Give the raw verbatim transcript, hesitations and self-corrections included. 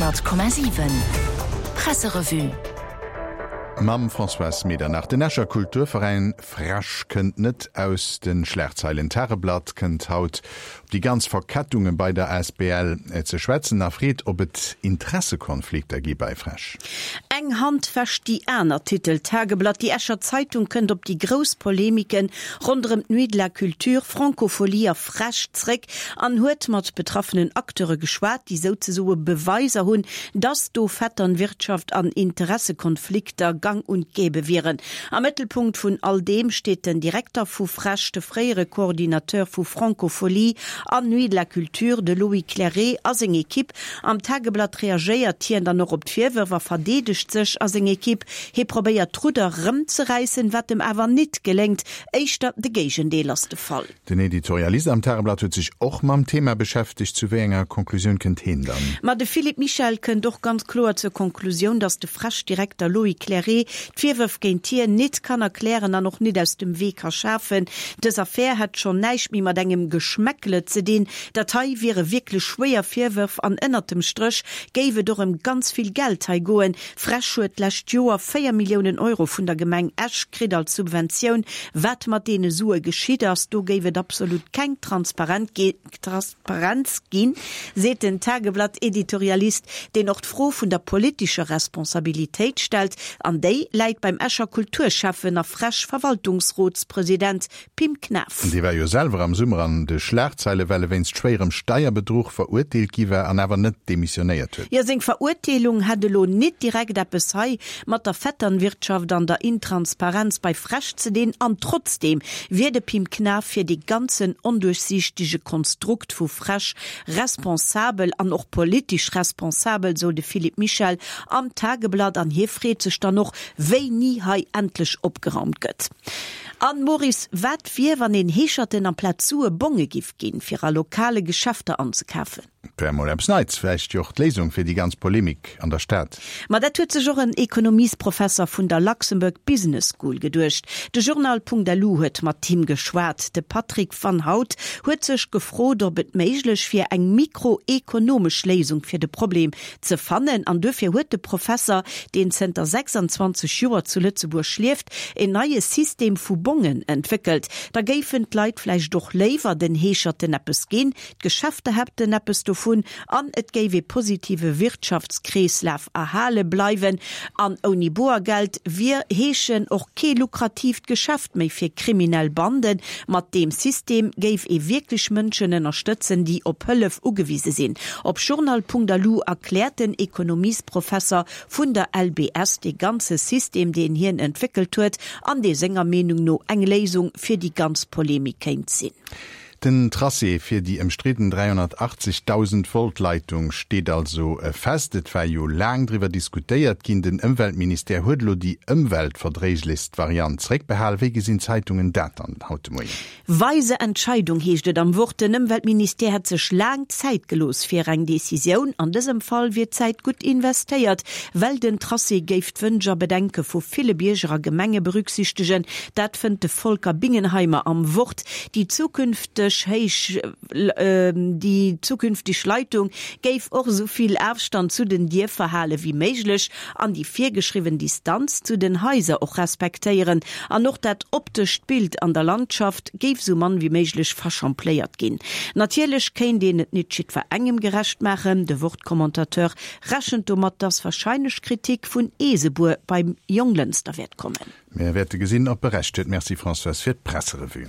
Honnert Komma siwen Presserevue. Mam Françoise Medernach. Den Escher Kulturveräin FrEsch kënnt net aus de Schlagzeilen. D'Tageblatt kënnt haut op déi ganz Verkettunge bei der Asbl ze schwätzen a freet, ob et Interessekonflikter gi bei FrEsch. Eng Hand wäscht déi aner, titelt d'Tageblatt. Déi Escher Zeitung kënnt op déi grouss Polemiken ronderëm d'Nuit de la Culture, Francophonie a FrEsch zréck an huet mat betraffenen Acteure geschwat, déi souzesoe Beweiser hunn, dass do Vetternwirtschaft an Interessekonflikter gang und gäbe wieren. Am Mëttelpunkt vun all deem steet den Direkter vu FrEsch, de fréiere Coordinateur vu Francofolies an Nuit de la Culture, de Loïc Clairet a seng Ekipp. Am Tageblatt reagéiert hien dann och op d'Virwërf a verdeedegt sech a seng Ekipp. Hie probéiert d'Rudder rëmzeräissen, wat em awer nit geléngt, éischter de Géigendeel ass de Fall. Den Editorialist am Tageblatt huet sech och mam Thema beschäftegt. Zu wéi enger Konklusioun kënnt hien dann? Ma de Philippe Michel kënnt och ganz kloer zur Konklusioun, dass de FrEsch-Direkter Loïc Clairet d'Virwërf géint hien nit kann erklären an och nit aus dem Wee ka schafen. Dës Affär hätt schonn näischt méi mat engem Geschmäckle ze dinn. Dat hei wiere wierklech schwéier Virwërf an ënnert dem Stréch géif et och ëm ganz vill Geld hei goen. FrEsch huet d'lescht Joer véier Milliounen Euro vun der Gemeng Esch kritt als Subventioun. Wat mat deene Sue geschitt ass, do géif et absolut keng Transparenz ginn, seet den Tageblatt-Editorialist, deen och d'Fro vun der politescher Responsabilitéit stellt. An déi läit beim Escher Kulturschäffen a FrEsch-Verwaltungsrotspresident Pim Knaff. Dee war jo selwer am Summer an de Schlagzeile well e wéinst schwéierem Steierbedruch verurteelt gi war an awer net demissionéiert huet. Jo, seng Verurteelung hätt elo nit direkt eppes hei mat der Vetternwirtschaft an der Intransparenz bei FrEsch ze dinn an trotzdeem wier de Pim Knaff fir dee ganzen onduerchsiichtege Konstrukt vu FrEsch responsabel an och politesch responsabel, sou de Philippe Michel am Tageblatt an hie freet sech dann och, wéini hei endlech opgeraumt gëtt. An Maurice, wat wier, wann een Heescherten amplaz Sue Bonge giff ginn, fir a lokale Geschäfter anzekafen? Wär mol eppes Neits, vläicht jo och d'Léisung fir déi ganz Polemik an der Stad. Ma dat huet sech och en Ekonomiesprofesser vun der Luxembourg Business School geduecht. De Journal.lu huet mat him geschwat. De Patrick Van Hout huet sech gefrot, ob et méiglech wier, eng mikroekonomesch Léisung fir de Problem ze fannen. An duerfir huet de Professer, deen zënter sechsanzwanzeg Joer zu Lëtzebuerg lieft, en neie System vu Bongen entwéckelt. Da géifen d'Leit vläicht och léiwer den Heescherten eppes ginn, d'Geschäfter hätten eppes dovun an et géif ee positive Wirtschaftskreeslaf erhale bleiwen. An ouni Boergeld wier Heeschen och kee lukratiivt Geschäft méi fir kriminell Banden. Mat deem System géif ee wierklech Mënschen ënnerstëtzen, déi op Hëllef ugewise sinn. Op Journal.lu erkläert den Ekonomiesprofesser vun der L B S dee ganze System, deen hien entwéckelt huet an dee senger Meenung no eng Léisung fir déi ganz Polemik kéint sinn. Den Tracé fir déi ëmstridden dräihonnertachtzegdausend Volt Leitung steet also fest. Et war jo laang driwwer diskutéiert ginn. Den Ëmweltministère huet elo déi ëmweltverdréiglechst Variant zeréckbehal. Wéi gesinn d'Zeitungen dat dann haut de Moien? Weise Entscheidung heescht et am Wort. Den Ëmweltministère hätt sech laang Zäit gelooss fir eng Decisioun. An dësem Fall wier d'Zäit gutt investéiert, well den Tracé géif d'Wënsch a Bedenke vu ville Bierger a Gemenge berücksichtegen. Dat fënnt de Volker Bingenheimer am Wort. Déi zukünfteg héich, déi zukünfteg Leitung géif och esou vill Afstand zu den Dierfer hale wéi méiglech an déi virgeschriwwen Distanz zu den Haiser och respektéieren. An och dat optescht Bild an der Landschaft géif sou mann wéi méiglech verschampléiert ginn. Natierlech kéint een et nit jiddwerengem gerecht maachen. De Wort-Commentateur rechent domat, dass warscheinlech Kritik vun Eesebuer beim Jonglënster wäert kommen. Mir wäerte gesinn, ob e Recht huet. Merci Françoise fir d'Presserevue.